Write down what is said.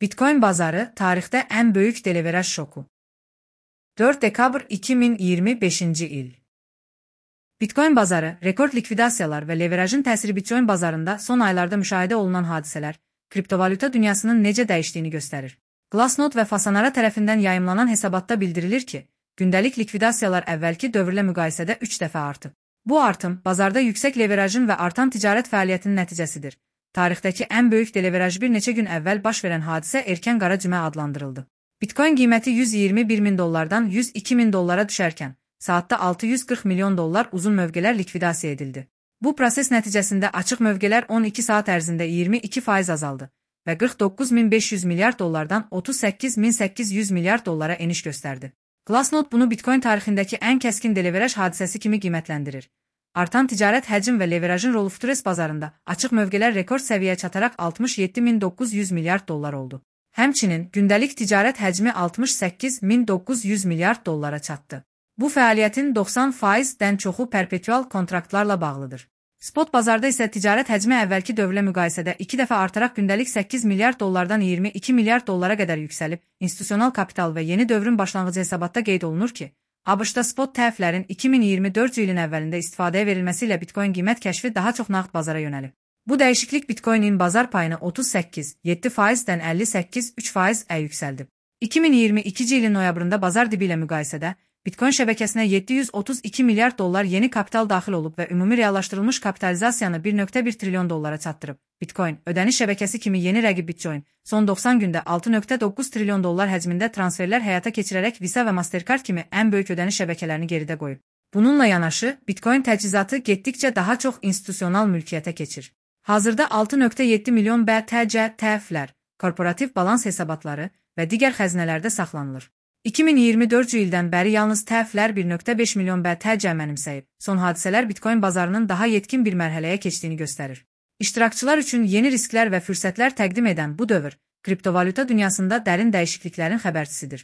Bitcoin bazarı tarixdə ən böyük deleveraj şoku. 4 dekabr 2025-ci il. Bitcoin bazarı, rekord likvidasiyalar və leverajın təsiri Bitcoin bazarında son aylarda müşahidə olunan hadisələr, kriptovalyuta dünyasının necə dəyişdiyini göstərir. Glassnode və Fasanara tərəfindən yayımlanan hesabatda bildirilir ki, gündəlik likvidasiyalar əvvəlki dövrlə müqayisədə 3 dəfə artıb. Bu artım, bazarda yüksək leverajın və artan ticarət fəaliyyətinin nəticəsidir. Tarixdəki ən böyük deleveraj bir neçə gün əvvəl baş verən hadisə erkən qara cümə adlandırıldı. Bitcoin qiyməti $121.000-dan $102.000 düşərkən, saatda $640 milyon uzun mövqelər likvidasiya edildi. Bu proses nəticəsində açıq mövqelər 12 saat ərzində 22% azaldı və $49.500 milyard $38.800 milyard eniş göstərdi. Glassnode bunu Bitcoin tarixindəki ən kəskin deleveraj hadisəsi kimi qiymətləndirir. Artan ticarət həcm və leverajın rolu futures bazarında açıq mövqelər rekord səviyyəyə çataraq $67.900 milyard oldu. Həmçinin, gündəlik ticarət həcmi $68.900 milyard çatdı. Bu fəaliyyətin 90%-dən çoxu perpetual kontraktlarla bağlıdır. Spot bazarda isə ticarət həcmi əvvəlki dövrlə müqayisədə 2 dəfə artaraq gündəlik $8 milyarddan $22 milyard qədər yüksəlib, institusional kapital və yeni dövrün başlanğıcı hesabatda qeyd olunur ki, ABŞ-da spot tərəflərin 2024 ilin əvvəlində istifadəyə verilməsi ilə Bitcoin qiymət kəşfi daha çox nağd bazara yönəlib. Bu dəyişiklik Bitcoinin bazar payını 38,7%-dən 58,3%-ə yüksəldib. 2022 ilin noyabrında bazar dibi ilə müqayisədə Bitcoin şəbəkəsinə $732 milyard yeni kapital daxil olub və ümumi reallaşdırılmış kapitalizasiyanı $1.1 trilyon çatdırıb. Bitcoin, ödəniş şəbəkəsi kimi yeni rəqib Bitcoin, son 90 gündə $6.9 trilyon həcmində transferlər həyata keçirərək Visa və Mastercard kimi ən böyük ödəniş şəbəkələrini geridə qoyub. Bununla yanaşı, Bitcoin təchizatı getdikcə daha çox institusional mülkiyyətə keçir. Hazırda 6.7 milyon BTC TF-lər, korporativ balans hesabatları və digər xəzinələrdə saxlanılır. 2024 ildən bəri yalnız TF-lər 1.5 milyon BTC mənimsəyib. Son hadisələr Bitcoin bazarının daha yetkin bir mərhələyə keçdiyini göstərir. İştirakçılar üçün yeni risklər və fürsətlər təqdim edən bu dövr, kriptovalyuta dünyasında dərin dəyişikliklərin xəbərçisidir.